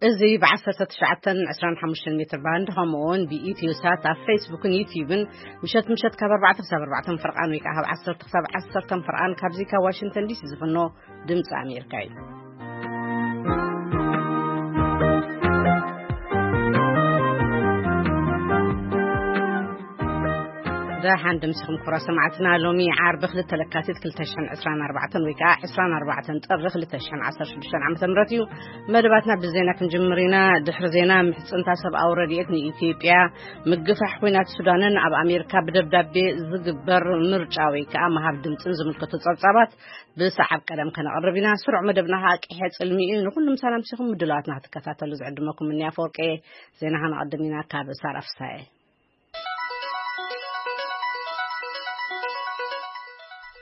እዚ ብ19 25 ሜትር ባንድ፣ ከምኡ እውን ብኢትዮ ሳት ኣብ ፌስቡክን ዩቲዩብን፣ ምሸት ምሸት ካብ ኣርባዕተ ክሳብ ኣርባዕተ ፍርቓን፣ ወይ ከዓ ካብ ዓሰርተ ክሳብ ዓሰርተ ፍርቓን፣ ካብዚ ካብ ዋሽንግተን ዲሲ ዝፍኖ ድምፂ ኣሜሪካ እዩ። ደሓን ድምስኹም ክቡራት ሰማዕትና። ሎሚ ዓርቢ ክልተ ለካቲት ክልተ ሽሕን ዕስራን ኣርባዕተን ወይ ከዓ ዕስራን ኣርባዕተን ጥሪ ክልተ ሽሕን ዓሰርተ ሽዱሽተን ዓመተ ምህረት እዩ። መደባትና ብዜና ክንጅምር ኢና። ድሕሪ ዜና፣ ምሕጽንታ ሰብኣዊ ረድኤት ንኢትዮጵያ፣ ምግፋሕ ኲናት ሱዳንን ኣብ ኣሜሪካ ብደብዳቤ ዝግበር ምርጫ ወይ ከዓ ምሃብ ድምፅን ዝምልከቱ ጸብጻባት ብሰዓብ ቀደም ከነቕርብ ኢና። ስሩዕ መደብና ከዓ ቅሐ ጽልሚ እዩ። ንኹሉም ሰላም ሲኹም ምድላዋትና ክትከታተሉ ዝዕድመኩም እኒ ኣፈወርቂ። ዜና ከነቐድም ኢና ካብ ሳራ ፍሳየ።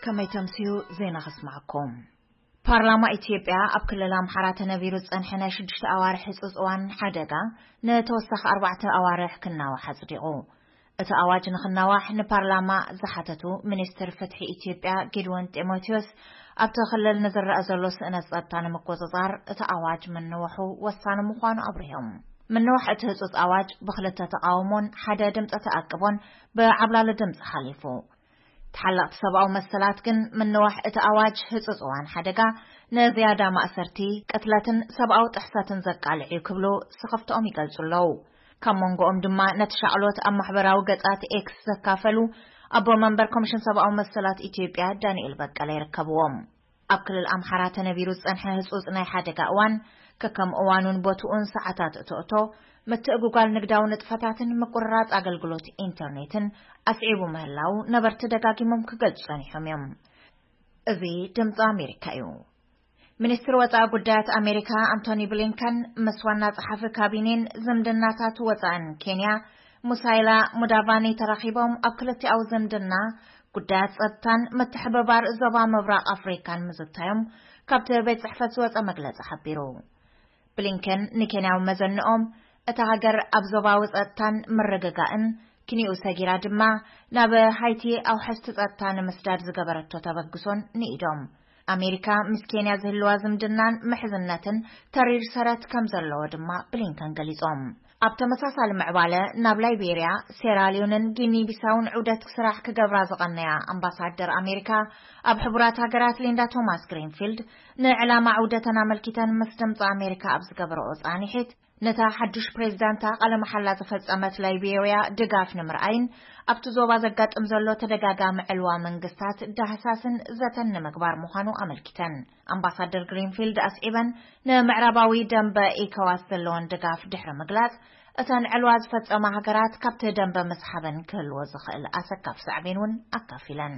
ከመይ ተምስዩ ዜና ከስማዕኩም። ፓርላማ ኢትዮጵያ ኣብ ክልል ኣምሓራ ተነቢሩ ዝጸንሐ ናይ ሽዱሽተ ኣዋርሕ ህጹጽ እዋን ሓደጋ ንተወሳኺ ኣርባዕተ ኣዋርሕ ክናዋሕ ኣጽዲቑ። እቲ ኣዋጅ ንክናዋሕ ንፓርላማ ዝሓተቱ ሚኒስትር ፍትሒ ኢትዮጵያ ጊድወን ጢሞቴዎስ፣ ኣብቲ ክልል ንዝረአ ዘሎ ስእነት ጸጥታ ንምቁጽጻር እቲ ኣዋጅ ምንዋሑ ወሳኒ ምዃኑ ኣብሪሆም። ምንዋሕ እቲ ህጹጽ ኣዋጅ ብክልተ ተቓውሞን ሓደ ድምፂ ተኣቅቦን ብዓብላሊ ድምፂ ሓሊፉ። ተሓለቕቲ ሰብኣዊ መሰላት ግን ምንዋሕ እቲ ኣዋጅ ህጹጽ እዋን ሓደጋ ንዝያዳ ማእሰርቲ፣ ቅትለትን ሰብኣዊ ጥሕሰትን ዘቃልዕ እዩ ክብሉ ስኽፍትኦም ይገልጹ ኣለዉ። ካብ መንጎኦም ድማ ነቲ ሻቕሎት ኣብ ማሕበራዊ ገጻት ኤክስ ዘካፈሉ ኣቦ መንበር ኮሚሽን ሰብኣዊ መሰላት ኢትዮጵያ ዳንኤል በቀለ ይርከብዎም። ኣብ ክልል ኣምሓራ ተነቢሩ ዝጸንሐ ህጹጽ ናይ ሓደጋ እዋን፣ ከከም እዋኑን ቦትኡን ሰዓታት እቶእቶ፣ ምትእጉጓል ንግዳዊ ንጥፈታትን ምቁርራጽ ኣገልግሎት ኢንተርኔትን ኣስዒቡ ምህላው ነበርቲ ደጋጊሞም ክገልጹ ጸኒሖም እዮም። እዚ ድምፂ ኣሜሪካ እዩ። ሚኒስትር ወፃኢ ጉዳያት ኣሜሪካ ኣንቶኒ ብሊንከን ምስ ዋና ጸሓፊ ካቢኔን ዝምድናታት ወፃእን ኬንያ ሙሳይላ ሙዳቫኒ ተራኺቦም፣ ኣብ ክልቲኣዊ ዝምድና ጉዳያት ጸጥታን ምትሕብባር ዞባ ምብራቕ ኣፍሪካን ምዝታዮም ካብቲ ቤት ጽሕፈት ዝወጸ መግለጺ ሓቢሩ። ብሊንከን ንኬንያዊ መዘንኦም፣ እታ ሃገር ኣብ ዞባዊ ጸጥታን ምርግጋእን ክንዩ ሰጊራ ድማ፣ ናብ ሃይቲ ኣውሐስቲ ጸጥታ ንምስዳድ ዝገበረቶ ተበግሶን ንኢዶም። ኣሜሪካ ምስ ኬንያ ዝህልዋ ዝምድናን ምሕዝነትን ተሪር ሰረት ከም ዘለዎ ድማ ብሊንከን ገሊጾም። ኣብ ተመሳሳሊ ምዕባለ፣ ናብ ላይቤርያ፣ ሴራልዮንን ጊኒ ቢሳውን ዑደት ስራሕ ክገብራ ዝቐነያ ኣምባሳደር ኣሜሪካ ኣብ ሕቡራት ሃገራት ሊንዳ ቶማስ ግሪንፊልድ፣ ንዕላማ ዑደተን ኣመልኪተን ምስ ድምፂ ኣሜሪካ ኣብ ዝገበረኦ ፃንሒት፣ ነታ ሓዱሽ ፕሬዝዳንታ ቃለ መሓላ ዝፈጸመት ላይቤርያ ድጋፍ ንምርኣይን ኣብቲ ዞባ ዘጋጥም ዘሎ ተደጋጋሚ ዕልዋ መንግስታት ዳህሳስን ዘተን ንምግባር ምዃኑ ኣመልኪተን። ኣምባሳደር ግሪንፊልድ ኣስዒበን፣ ንምዕራባዊ ደንበ ኢኮዋስ ዘለወን ድጋፍ ድሕሪ ምግላጽ፣ እተን ዕልዋ ዝፈጸማ ሃገራት ካብቲ ደንበ ምስሓበን ክህልዎ ዝኽእል ኣሰካፍ ሳዕቤን እውን ኣካፊለን።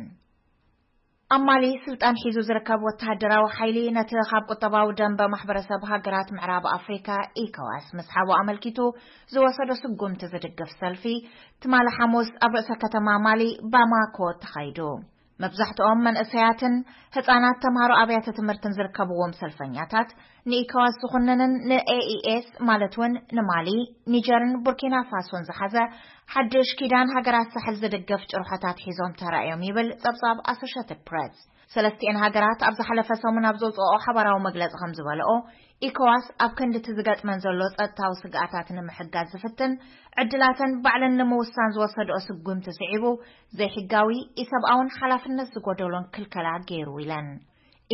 ኣብ ማሊ ስልጣን ሒዙ ዝርከብ ወተሃደራዊ ሓይሊ፣ ነቲ ካብ ቁጠባዊ ደንበ ማሕበረሰብ ሃገራት ምዕራብ ኣፍሪካ ኢኮዋስ ምስሓቡ ኣመልኪቱ ዝወሰዶ ስጉምቲ ዝድግፍ ሰልፊ፣ ትማሊ ሓሙስ ኣብ ርእሰ ከተማ ማሊ ባማኮ ተኻይዱ። መብዛሕትኦም መንእሰያትን ህጻናት፣ ተምሃሮ ኣብያተ ትምህርትን ዝርከብዎም ሰልፈኛታት፣ ንኢኮዋስ ዝኹንንን ንኤኢኤስ ማለት እውን ንማሊ፣ ኒጀርን ቡርኪና ፋሶን ዝሓዘ ሓድሽ ኪዳን ሃገራት ሳሕል ዝድግፍ ጭርሖታት ሒዞም ተራእዮም ይብል ጸብጻብ ኣሶሼትድ ፕሬስ። ሰለስቲኤን ሃገራት ኣብ ዝሓለፈ ሰሙን ኣብ ዘውፅኦ ሓባራዊ መግለፂ ከም ዝበለኦ፣ ኢኮዋስ ኣብ ክንዲ እቲ ዝገጥመን ዘሎ ጸጥታዊ ስግኣታት ንምሕጋዝ ዝፍትን፣ ዕድላተን ባዕለን ንምውሳን ዝወሰድኦ ስጉምቲ ስዒቡ፣ ዘይሕጋዊ፣ ኢሰብኣውን ሓላፍነት ዝጎደሎን ክልከላ ገይሩ ኢለን።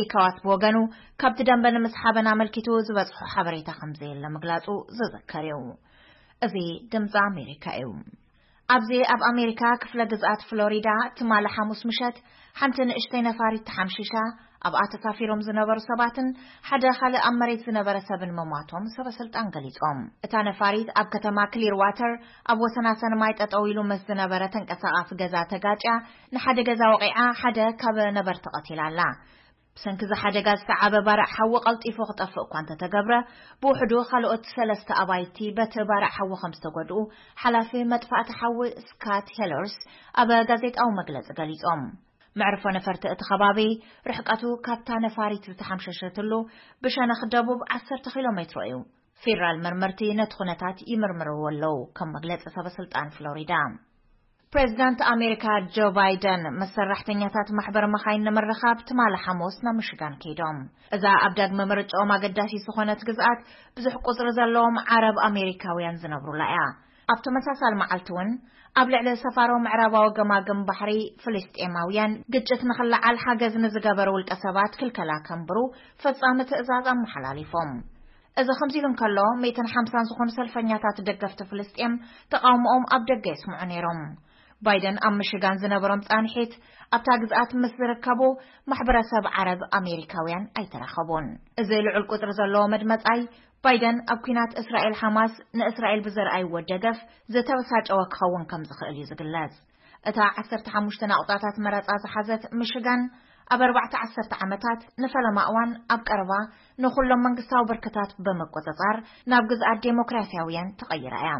ኢኮዋስ ብወገኑ፣ ካብቲ ደንበ ንምስሓበን ኣመልኪቱ ዝበጽሖ ሓበሬታ ከም ዘየለ ምግላጹ ዝዝከር እዩ። እዚ ድምጺ ኣሜሪካ እዩ። ኣብዚ ኣብ ኣሜሪካ ክፍለ ግዝኣት ፍሎሪዳ ትማሊ ሓሙስ ምሸት ሓንቲ ንእሽተይ ነፋሪት ተሓምሺሻ፣ ኣብኣ ተሳፊሮም ዝነበሩ ሰባትን ሓደ ካልእ ኣብ መሬት ዝነበረ ሰብን ምሟቶም ሰበ ስልጣን ገሊጾም። እታ ነፋሪት ኣብ ከተማ ክሊር ዋተር ኣብ ወሰናሰን ማይ ጠጠው ኢሉ ምስ ዝነበረ ተንቀሳቓሲ ገዛ ተጋጭያ፣ ንሓደ ገዛ ወቒዓ፣ ሓደ ካብ ነበርቲ ቀቲላ ኣላ። ብሰንኪ እዚ ሓደጋ ዝተዓበ ባርዕ ሓዊ ቀልጢፉ ክጠፍእ እኳ እንተተገብረ፣ ብውሕዱ ካልኦት ሰለስተ ኣባይቲ በቲ ባርዕ ሓዊ ከም ዝተጎድኡ ሓላፊ መጥፋእቲ ሓዊ ስካት ሄለርስ ኣብ ጋዜጣዊ መግለጺ ገሊጾም። መዕርፎ ነፈርቲ እቲ ከባቢ ርሕቀቱ ካብታ ነፋሪት ዝተሓምሸሸትሉ ብሸነኽ ደቡብ ዓሰርተ ኪሎ ሜትሮ እዩ። ፌደራል መርመርቲ ነቲ ኩነታት ይምርምርዎ ኣለዉ፣ ከም መግለጺ ሰበ ስልጣን ፍሎሪዳ። ፕሬዚዳንት ኣሜሪካ ጆ ባይደን ምስ ሰራሕተኛታት ማሕበር መኻይን ንምርኻብ ትማሊ ሓሙስ ናብ ምሽጋን ከይዶም። እዛ ኣብ ዳግመ ምርጫኦም ኣገዳሲት ዝኾነት ግዝኣት ብዙሕ ቁጽሪ ዘለዎም ዓረብ ኣሜሪካውያን ዝነብሩላ እያ። ኣብ ተመሳሳሊ መዓልቲ እውን ኣብ ልዕሊ ሰፋሮ ምዕራባዊ ገማግም ባሕሪ ፍልስጤማውያን ግጭት ንኽለዓል ሓገዝ ንዝገበሩ ውልቀ ሰባት ክልከላ ከንብሩ ፈጻሚ ትእዛዝ ኣመሓላሊፎም። እዚ ከምዚ ኢሉ እንከሎ፣ ሚእትን ሓምሳን ዝኾኑ ሰልፈኛታት ደገፍቲ ፍልስጤም ተቓውሞኦም ኣብ ደገ የስምዑ ነይሮም። ባይደን ኣብ ምሽጋን ዝነበሮም ጻንሒት ኣብታ ግዝኣት ምስ ዝርከቡ ማሕበረሰብ ዓረብ ኣሜሪካውያን ኣይተራኸቡን። እዚ ልዑል ቁጽሪ ዘለዎ መድመጻይ፣ ባይደን ኣብ ኲናት እስራኤል ሓማስ ንእስራኤል ብዘርኣይዎ ደገፍ ዝተበሳጨወ ክኸውን ከም ዝኽእል እዩ ዝግለጽ። እታ ዓሰርተ ሓሙሽተ ናቑጣታት መረጻ ዝሓዘት ምሽጋን፣ ኣብ ኣርባዕተ ዓሰርተ ዓመታት ንፈለማ እዋን ኣብ ቀረባ ንኹሎም መንግስታዊ ብርክታት ብምቁጽጻር ናብ ግዝኣት ዴሞክራሲያውያን ተቐይራ እያ።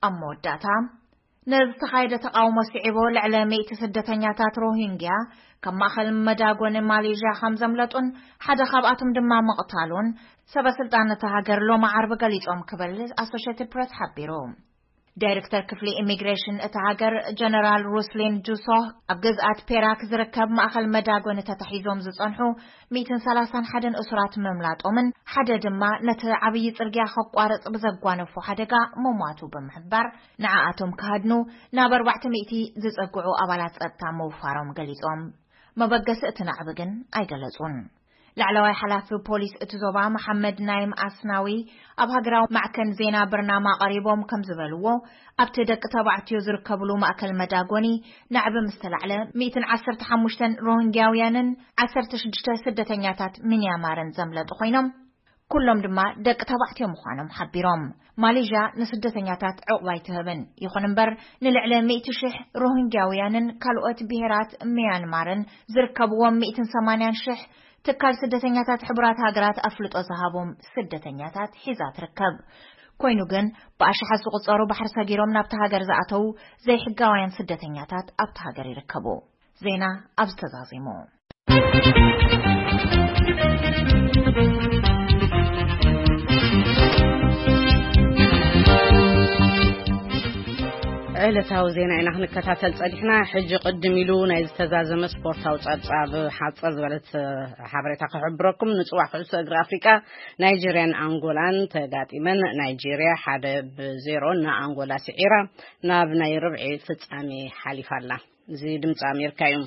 ኣብ መወዳእታ፣ ንዝተኻየደ ተቓውሞ ስዒቡ፣ ልዕሊ ሚእቲ ስደተኛታት ሮሂንግያ ካብ ማእከል መዳጎኒ ማሌዥያ ከም ዘምለጡን ሓደ ካብኣቶም ድማ ምቕታሉን ሰበ ስልጣን እታ ሃገር ሎሚ ዓርቢ ገሊጾም ክብል ኣሶሼትድ ፕሬስ ሓቢሩ። ዳይሬክተር ክፍሊ ኢሚግሬሽን እታ ሃገር ጀነራል ሩስሊን ጁሶህ፣ ኣብ ግዝኣት ፔራክ ዝርከብ ማእከል መዳጎኒ ተታሒዞም ዝጸንሑ ሚእትን ሰላሳን ሓደን እሱራት ምምላጦምን ሓደ ድማ ነቲ ዓብዪ ጽርግያ ከቋርጽ ብዘጓነፎ ሓደጋ ምሟቱ ብምሕባር፣ ንዓኣቶም ክሃድኑ ናብ ኣርባዕተ ሚእቲ ዝጸግዑ ኣባላት ጸጥታ ምውፋሮም ገሊጾም። መበገሲ እቲ ናዕቢ ግን ኣይገለጹን። ላዕለዋይ ሓላፊ ፖሊስ እቲ ዞባ መሓመድ ናይም ኣስናዊ ኣብ ሃገራዊ ማዕከን ዜና ብርናማ ቀሪቦም ከም ዝበልዎ፣ ኣብቲ ደቂ ተባዕትዮ ዝርከብሉ ማእከል መዳጎኒ ናዕቢ ምስ ተላዕለ፣ ሚእትን ዓሰርተ ሓሙሽተን ሮሂንግያውያንን ዓሰርተ ሽዱሽተ ስደተኛታት ሚንያማርን ዘምለጡ ኮይኖም፣ ኩሎም ድማ ደቂ ተባዕትዮ ምዃኖም ሓቢሮም። ማሌዥያ ንስደተኛታት ዕቑባ ኣይትህብን። ይኹን እምበር፣ ንልዕሊ ሚእቲ ሽሕ ሮሂንግያውያንን ካልኦት ብሄራት ሚያንማርን ዝርከብዎም ሚእትን ሰማንያን ሽሕ ትካል ስደተኛታት ሕቡራት ሃገራት ኣፍልጦ ዝሃቦም ስደተኛታት ሒዛ ትርከብ። ኮይኑ ግን፣ ብኣሽሓት ዝቑጸሩ ባሕሪ ሰጊሮም ናብታ ሃገር ዝኣተዉ ዘይሕጋውያን ስደተኛታት ኣብታ ሃገር ይርከቡ። ዜና ኣብዚ ተዛዚሙ። ዕለታዊ ዜና ኢና ክንከታተል ጸኒሕና። ሕጂ ቅድም ኢሉ ናይ ዝተዛዘመ ስፖርታዊ ጸብጻብ፣ ሓጸር ዝበለት ሓበሬታ ክሕብረኩም። ንጽዋዕ ኩዕሶ እግሪ ኣፍሪቃ፣ ናይጄርያን ኣንጎላን ተጋጢመን፣ ናይጄርያ ሓደ ብዜሮ ንኣንጎላ ስዒራ ናብ ናይ ርብዒ ፍጻሜ ሓሊፋ ኣላ። እዚ ድምፂ ኣሜሪካ እዩ።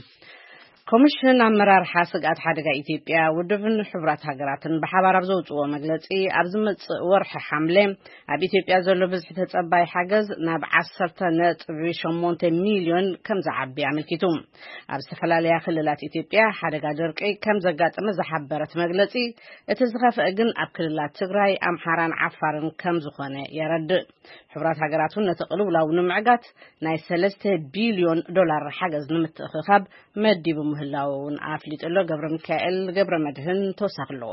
ኮሚሽን ኣመራርሓ ስግኣት ሓደጋ ኢትዮጵያ፣ ውድብን ሕቡራት ሃገራትን ብሓባር ኣብ ዘውፅዎ መግለፂ፣ ኣብ ዝመፅእ ወርሒ ሓምለ ኣብ ኢትዮጵያ ዘሎ ብዝሒ ተፀባይ ሓገዝ ናብ ዓሰርተ ነጥቢ ሸሞንተ ሚልዮን ከም ዝዓቢ ኣመልኪቱ። ኣብ ዝተፈላለያ ክልላት ኢትዮጵያ ሓደጋ ደርቂ ከም ዘጋጠመ ዝሓበረት መግለፂ፣ እቲ ዝኸፍአ ግን ኣብ ክልላት ትግራይ፣ ኣምሓራን ዓፋርን ከም ዝኾነ የረድእ። ሕቡራት ሃገራት እውን ነቲ ቅልውላው ንምዕጋት ናይ ሰለስተ ቢልዮን ዶላር ሓገዝ ንምትእኽኻብ መዲቡ ምህላዉ እውን ኣፍሊጡ ኣሎ። ገብረ ሚካኤል ገብረ መድህን ተወሳኺ ኣለዎ።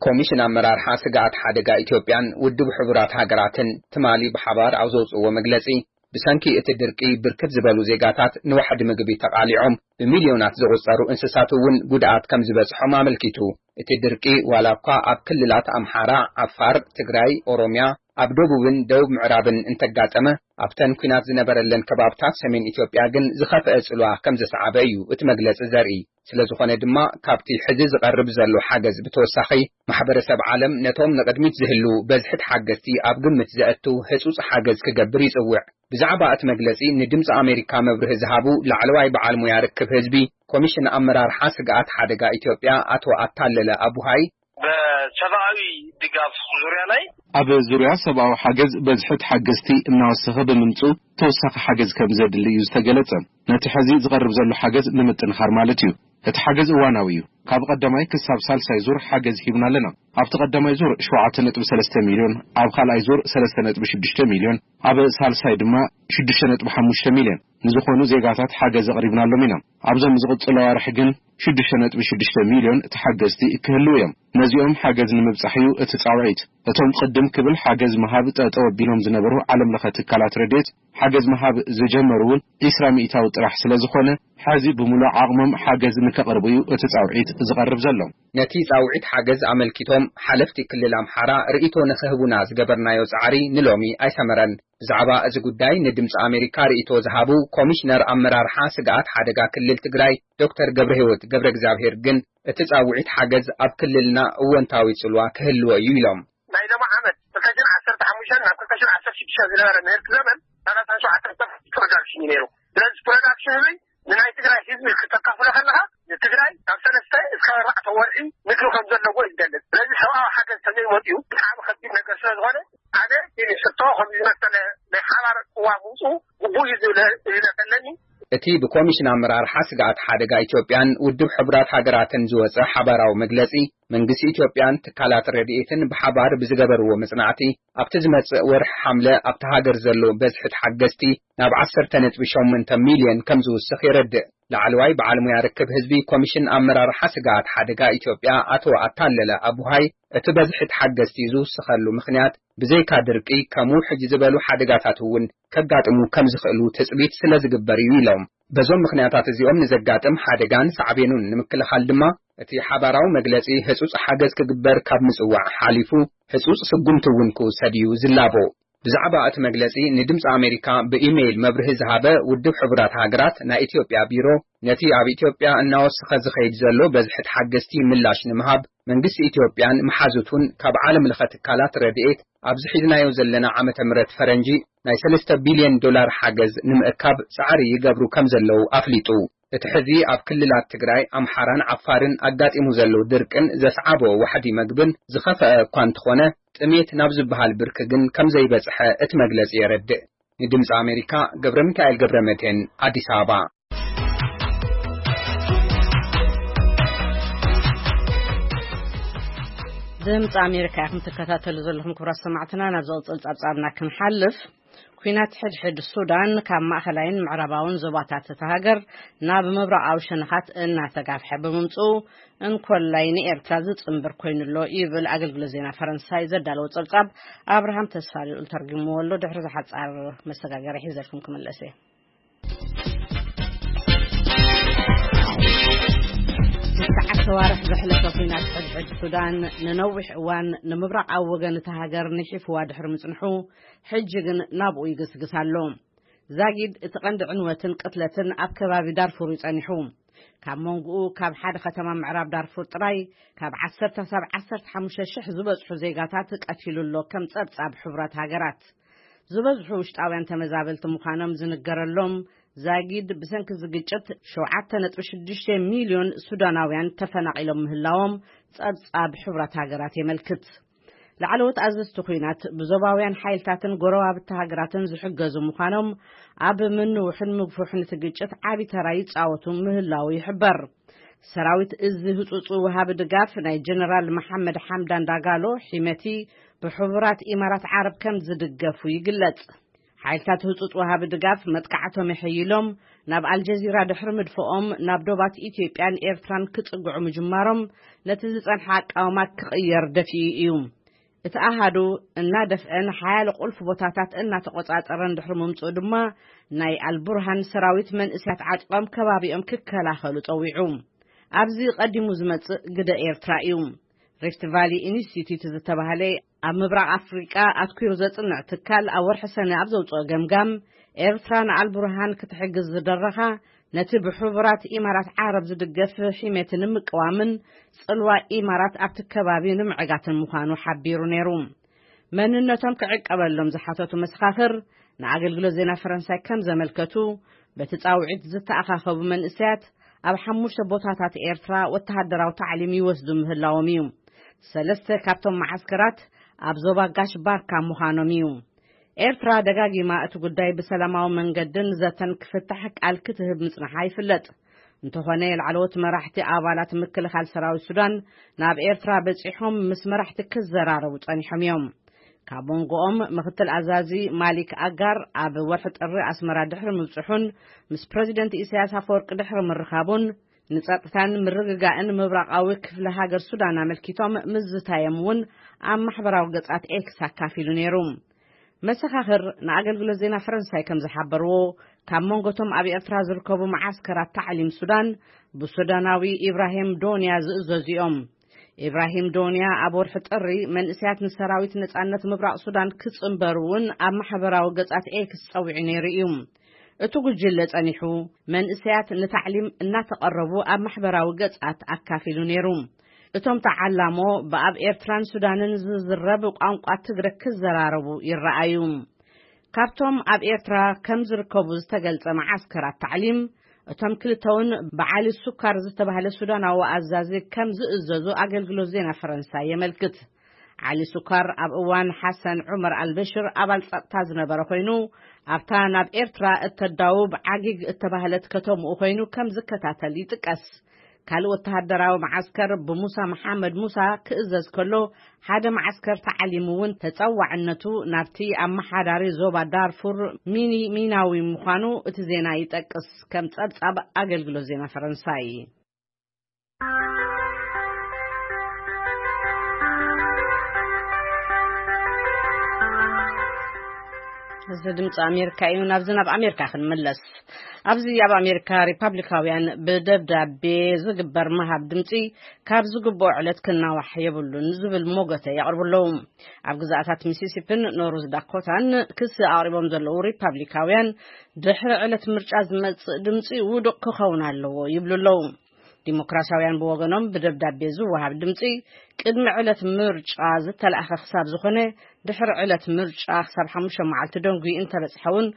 ኮሚሽን ኣመራርሓ ስግኣት ሓደጋ ኢትዮጵያን ውድብ ሕቡራት ሃገራትን ትማሊ ብሓባር ኣብ ዘውፅእዎ መግለፂ፣ ብሰንኪ እቲ ድርቂ ብርክት ዝበሉ ዜጋታት ንዋሕዲ ምግቢ ተቓሊዖም፣ ብሚልዮናት ዝቑጸሩ እንስሳት እውን ጉድኣት ከም ዝበፅሖም ኣመልኪቱ። እቲ ድርቂ ዋላ እኳ ኣብ ክልላት ኣምሓራ፣ ዓፋር፣ ትግራይ፣ ኦሮሚያ፣ ኣብ ደቡብን ደቡብ ምዕራብን እንተጋጠመ፣ ኣብተን ኲናት ዝነበረለን ከባብታት ሰሜን ኢትዮጵያ ግን ዝኸፍአ ጽልዋ ከም ዘስዓበ እዩ እቲ መግለጺ ዘርኢ። ስለ ዝኾነ ድማ፣ ካብቲ ሕዚ ዝቐርብ ዘሎ ሓገዝ ብተወሳኺ፣ ማሕበረሰብ ዓለም ነቶም ንቕድሚት ዝህልዉ በዝሒ ተሓገዝቲ ኣብ ግምት ዘእቱ ህጹጽ ሓገዝ ክገብር ይጽውዕ። ብዛዕባ እቲ መግለጺ ንድምጺ ኣሜሪካ መብርሂ ዝሃቡ ላዕለዋይ በዓል ሙያ ርክብ ህዝቢ ኮሚሽን ኣመራርሓ ስግኣት ሓደጋ ኢትዮጵያ ኣቶ ኣታለለ ኣቡሃይ፣ በሰብኣዊ ድጋፍ ዙሪያ ላይ ኣብ ዙርያ ሰብኣዊ ሓገዝ በዝሒ ተሓገዝቲ እናወሰኸ ብምምፅኡ ተወሳኺ ሓገዝ ከም ዘድሊ እዩ ዝተገለጸ። ነቲ ሕዚ ዝቐርብ ዘሎ ሓገዝ ንምጥንኻር ማለት እዩ። እቲ ሓገዝ እዋናዊ እዩ። ካብ ቀዳማይ ክሳብ ሳልሳይ ዙር ሓገዝ ሂብና ኣለና። ኣብቲ ቀዳማይ ዙር ሸውዓተ ነጥቢ ሰለስተ ሚልዮን፣ ኣብ ካልኣይ ዙር ሰለስተ ነጥቢ ሽዱሽተ ሚልዮን፣ ኣብ ሳልሳይ ድማ ሽዱሽተ ነጥቢ ሓሙሽተ ሚልዮን ንዝኾኑ ዜጋታት ሓገዝ ኣቕሪብናሎም ኢና። ኣብዞም ዝቕጽሉ ኣዋርሕ ግን ሽዱሽተ ነጥቢ ሽዱሽተ ሚልዮን ተሓገዝቲ ክህልዉ እዮም። ነዚኦም ሓገዝ ንምብጻሕ እዩ እቲ ጻውዒት። እቶም ቅድም ክብል ሓገዝ ምሃብ ጠጠው ኣቢሎም ዝነበሩ ዓለም ለኸ ትካላት ረድኤት ሓገዝ ምሃብ ዝጀመሩ እውን ዒስራ ሚእታዊ ጥራሕ ስለ ዝኾነ፣ ሕዚ ብምሉእ ዓቕሞም ሓገዝ ንከቕርቡ እዩ እቲ ጻውዒት ዝቐርብ ዘሎ። ነቲ ጻውዒት ሓገዝ ኣመልኪቶም ሓለፍቲ ክልል ኣምሓራ ርእይቶ ንኽህቡና ዝገበርናዮ ጻዕሪ ንሎሚ ኣይሰመረን። ብዛዕባ እዚ ጉዳይ ንድምፂ ኣሜሪካ ርእይቶ ዝሃቡ ኮሚሽነር ኣመራርሓ ስግኣት ሓደጋ ክልል ትግራይ ዶክተር ገብረህይወት ገብረ እግዚኣብሔር ግን፣ እቲ ፃውዒት ሓገዝ ኣብ ክልልና እወንታዊ ፅልዋ ክህልዎ እዩ ኢሎም። ናይ ሎሚ ዓመት ክልተ ሽሕን ዓሰርተ ሓሙሽተን ናብ ክልተ ሽሕን ዓሰርተ ሽዱሽተን ዝነበረ ምህርቲ ዘመን ሰላሳን ሸውዓተን ፐርሰንት ፕሮዳክሽን እዩ ነይሩ። ስለዚ ፕሮዳክሽን ህዝቢ ንናይ ትግራይ ህዝቢ ክተካፍሎ ከለኻ፣ ንትግራይ ካብ ሰለስተ እስከ ኣርባዕተ ወርሒ ምግቢ ከም ዘለዎ እዩ ዝገልጽ። ስለዚ ሰብኣዊ ሓገዝ ተዘይመፅኡ ብጣዕሚ ከቢድ ነገር ስለ ዝኾነ፣ ኣነ እቲ ሕቶ ከምዚ ዝመሰለ ናይ ሓባር ቅዋም ምውፅኡ ግቡእ እዩ ዝብል እምነት ኣለኒ። እቲ ብኮሚሽን ኣመራርሓ ስግኣት ሓደጋ ኢትዮጵያን ውድብ ሕቡራት ሃገራትን ዝወፀ ሓባራዊ መግለፂ፣ መንግስቲ ኢትዮጵያን ትካላት ረድኤትን ብሓባር ብዝገበርዎ መጽናዕቲ፣ ኣብቲ ዝመጽእ ወርሒ ሓምለ ኣብቲ ሃገር ዘሎ በዝሒ ተሓገዝቲ ናብ ዓሰርተ ነጥቢ ሸሞንተ ሚልዮን ከም ዝውስኽ የረድእ። ላዕለዋይ በዓል ሙያ ርክብ ህዝቢ ኮሚሽን ኣመራርሓ ስግኣት ሓደጋ ኢትዮጵያ ኣቶ ኣታለለ ኣቡሃይ፣ እቲ በዝሒ ተሓገዝቲ ዝውስኸሉ ምኽንያት ብዘይካ ድርቂ፣ ከምኡ ሕጂ ዝበሉ ሓደጋታት እውን ከጋጥሙ ከም ዝኽእሉ ትጽቢት ስለ ዝግበር እዩ ኢሎም። በዞም ምኽንያታት እዚኦም ንዘጋጥም ሓደጋን ሳዕቤኑን ንምክልኻል ድማ፣ እቲ ሓባራዊ መግለጺ ህጹጽ ሓገዝ ክግበር ካብ ምጽዋዕ ሓሊፉ፣ ህጹጽ ስጉምቲ እውን ክውሰድ እዩ ዝላቦ። ብዛዕባ እቲ መግለጺ ንድምጺ ኣሜሪካ ብኢሜይል መብርሂ ዝሃበ ውድብ ሕቡራት ሃገራት ናይ ኢትዮጵያ ቢሮ፣ ነቲ ኣብ ኢትዮጵያ እናወሰኸ ዝኸይድ ዘሎ በዝሒ ተሓገዝቲ ምላሽ ንምሃብ፣ መንግስቲ ኢትዮጵያን መሓዙቱን ካብ ዓለም ለኸ ትካላት ረድኤት ኣብዚ ሒዝናዮ ዘለና ዓመተ ምህረት ፈረንጂ ናይ ሰለስተ ቢልዮን ዶላር ሓገዝ ንምእካብ ጻዕሪ ይገብሩ ከም ዘለዉ ኣፍሊጡ። እቲ ሕዚ ኣብ ክልላት ትግራይ፣ ኣምሓራን ዓፋርን ኣጋጢሙ ዘሎ ድርቅን ዘስዓቦ ዋሕዲ መግብን ዝኸፈአ እኳ እንተኾነ፣ ጥሜት ናብ ዝበሃል ብርኪ ግን ከም ዘይበጽሐ እቲ መግለጺ የረድእ። ንድምጺ ኣሜሪካ፣ ገብረ ሚካኤል ገብረ መድህን፣ ኣዲስ ኣበባ። ድምፂ ኣሜሪካ ኢኹም ትከታተሉ ዘለኹም ክቡራት ሰማዕትና። ናብ ዝቕፅል ጸብጻብና ክንሓልፍ፣ ኲናት ሕድሕድ ሱዳን ካብ ማእኸላይን ምዕራባውን ዞባታት እታ ሃገር ናብ ምብራቓዊ ሸነኻት እናተጋፍሐ ብምምፅኡ፣ እንኮላይ ንኤርትራ ዝጽንብር ኮይኑ ኣሎ ይብል ኣገልግሎት ዜና ፈረንሳይ ዘዳለዎ ጸብጻብ። ኣብርሃም ተስፋልኡል ተርጉምዎ ኣሎ። ድሕሪ ዝሓጻር መሰጋገሪ ሒዘልኩም ክምለስ እየ። ትሽዓተ ኣዋርሕ ዘሕለፈ ኲናት ሕድሕድ ሱዳን ንነዊሕ እዋን ንምብራቓዊ ወገን እታ ሃገር ንሒፍዋ ድሕሪ ምጽንሑ፣ ሕጂ ግን ናብኡ ይግስግስ ኣሎ። ዛጊድ እቲ ቀንዲ ዕንወትን ቅትለትን ኣብ ከባቢ ዳርፉር እዩ ጸኒሑ። ካብ መንጎኡ ካብ ሓደ ከተማ ምዕራብ ዳርፉር ጥራይ ካብ ዓሰርተ ክሳብ ዓሰርተ ሓሙሽተ ሽሕ ዝበጽሑ ዜጋታት ቀቲሉ ኣሎ፣ ከም ጸብጻብ ሕቡራት ሃገራት። ዝበዝሑ ውሽጣውያን ተመዛበልቲ ምዃኖም ዝንገረሎም ዛጊድ፣ ብሰንኪ እዚ ግጭት ሸውዓተ ነጥቢ ሽዱሽተ ሚልዮን ሱዳናውያን ተፈናቒሎም ምህላዎም ጸብጻብ ሕቡራት ሃገራት የመልክት። ላዕለዎት ኣዘዝቲ ኲናት ብዞባውያን ሓይልታትን ጎረባብቲ ሃገራትን ዝሕገዙ ምዃኖም፣ ኣብ ምንውሕን ምግፉሕን እቲ ግጭት ዓቢ ተራ ይጻወቱ ምህላዉ ይሕበር። ሰራዊት እዚ ህጹጽ ወሃቢ ድጋፍ ናይ ጀነራል መሓመድ ሓምዳን ዳጋሎ ሒመቲ ብሕቡራት ኢማራት ዓረብ ከም ዝድገፉ ይግለጽ። ሓይልታት ህጹጽ ወሃቢ ድጋፍ መጥቃዕቶም የሐይሎም፣ ናብ ኣልጀዚራ ድሕሪ ምድፍኦም ናብ ዶባት ኢትዮጵያን ኤርትራን ክጽግዑ ምጅማሮም፣ ነቲ ዝጸንሐ ኣቃውማ ክቕየር ደፊኡ እዩ። እቲ ኣሃዱ እናደፍአ ንሓያሎ ቁልፊ ቦታታት እናተቖጻጸረ እንድሕሪ ምምጽኡ ድማ፣ ናይ ኣልቡርሃን ሰራዊት መንእሰያት ዓጢቖም ከባቢኦም ክከላኸሉ ጸዊዑ። ኣብዚ ቀዲሙ ዝመጽእ ግደ ኤርትራ እዩ። ሪፍት ቫሊ ኢንስቲትዩት ዝተባህለ ኣብ ምብራቕ ኣፍሪቃ ኣትኲሩ ዘጽንዕ ትካል ኣብ ወርሒ ሰነ ኣብ ዘውጽኦ ገምጋም፣ ኤርትራ ንኣልቡርሃን ክትሕግዝ ዝደረኻ፣ ነቲ ብሕቡራት ኢማራት ዓረብ ዝድገፍ ሒሜቲ ንምቅዋምን ጽልዋ ኢማራት ኣብቲ ከባቢ ንምዕጋትን ምዃኑ ሓቢሩ ነይሩ። መንነቶም ክዕቀበሎም ዝሓተቱ መሰኻኽር ንኣገልግሎት ዜና ፈረንሳይ ከም ዘመልከቱ፣ በቲ ጻውዒት ዝተኣኻኸቡ መንእሰያት ኣብ ሓሙሽተ ቦታታት ኤርትራ ወተሃደራዊ ታዕሊም ይወስዱ ምህላዎም እዩ። ሰለስተ ካብቶም መዓስከራት ኣብ ዞባ ጋሽ ባርካ ምዃኖም እዩ። ኤርትራ ደጋጊማ እቲ ጉዳይ ብሰላማዊ መንገድን ዘተን ክፍታሕ ቃል ክትህብ ምጽንሓ ይፍለጥ። እንተኾነ፣ ላዕለዎት መራሕቲ ኣባላት ምክልኻል ሰራዊት ሱዳን ናብ ኤርትራ በጺሖም ምስ መራሕቲ ክዘራረቡ ጸኒሖም እዮም። ካብ መንጎኦም ምክትል ኣዛዚ ማሊክ ኣጋር ኣብ ወርሒ ጥሪ ኣስመራ ድሕሪ ምብጽሑን ምስ ፕረዚደንት ኢሳያስ ኣፈወርቂ ድሕሪ ምርኻቡን፣ ንጸጥታን ምርግጋእን ምብራቓዊ ክፍለ ሃገር ሱዳን ኣመልኪቶም ምዝታዮም እውን ኣብ ማሕበራዊ ገጻት ኤክስ ኣካፊሉ ነይሩ። መሰኻኽር ንኣገልግሎት ዜና ፈረንሳይ ከም ዝሓበርዎ፣ ካብ መንጎቶም ኣብ ኤርትራ ዝርከቡ መዓስከራት ታዕሊም ሱዳን ብሱዳናዊ ኢብራሂም ዶንያ ዝእዘዙ እዮም። ኢብራሂም ዶንያ ኣብ ወርሒ ጥሪ መንእሰያት ንሰራዊት ነጻነት ምብራቕ ሱዳን ክጽንበሩ እውን ኣብ ማሕበራዊ ገጻት ኤክስ ጸዊዑ ነይሩ እዩ። እቲ ጉጅለ ጸኒሑ መንእሰያት ንታዕሊም እናተቐረቡ ኣብ ማሕበራዊ ገጻት ኣካፊሉ ነይሩ። እቶም ተዓላሞ ብኣብ ኤርትራን ሱዳንን ዝዝረብ ቋንቋ ትግረ ክዘራረቡ ይረኣዩ። ካብቶም ኣብ ኤርትራ ከም ዝርከቡ ዝተገልጸ መዓስከራት ታዕሊም፣ እቶም ክልተውን ብዓሊ ሱካር ዝተባህለ ሱዳናዊ ኣዛዚ ከም ዝእዘዙ ኣገልግሎት ዜና ፈረንሳይ የመልክት። ዓሊ ሱካር ኣብ እዋን ሓሰን ዑመር ኣልበሽር ኣባል ጸጥታ ዝነበረ ኮይኑ፣ ኣብታ ናብ ኤርትራ እተዳውብ ዓጊግ እተባህለት ከተምኡ ኮይኑ ከም ዝከታተል ይጥቀስ። ካልእ ወተሃደራዊ መዓስከር ብሙሳ መሓመድ ሙሳ ክእዘዝ ከሎ፣ ሓደ መዓስከር ተዓሊሙ እውን ተጸዋዕነቱ ናብቲ ኣመሓዳሪ ዞባ ዳርፉር ሚኒ ሚናዊ ምዃኑ እቲ ዜና ይጠቅስ፣ ከም ጸብጻብ ኣገልግሎት ዜና ፈረንሳይ። እዚ ድምፂ ኣሜሪካ እዩ። ናብዚ ናብ ኣሜሪካ ክንምለስ። ኣብዚ ኣብ ኣሜሪካ ሪፓብሊካውያን ብደብዳቤ ዝግበር ምሃብ ድምፂ ካብ ዝግብኦ ዕለት ክናዋሕ የብሉን ዝብል ሞገተ የቕርቡ ኣለዉ። ኣብ ግዛኣታት ሚሲሲፒን ኖርዝ ዳኮታን ክሲ ኣቕሪቦም ዘለዉ ሪፓብሊካውያን ድሕሪ ዕለት ምርጫ ዝመጽእ ድምፂ ውዱቕ ክኸውን ኣለዎ ይብሉ ኣለዉ። ዲሞክራሲያውያን ብወገኖም ብደብዳቤ ዝወሃብ ድምፂ ቅድሚ ዕለት ምርጫ ዝተላእኸ ክሳብ ዝኾነ ድሕሪ ዕለት ምርጫ ክሳብ ሓሙሽተ መዓልቲ ደንጉዩ እንተበፅሐ እውን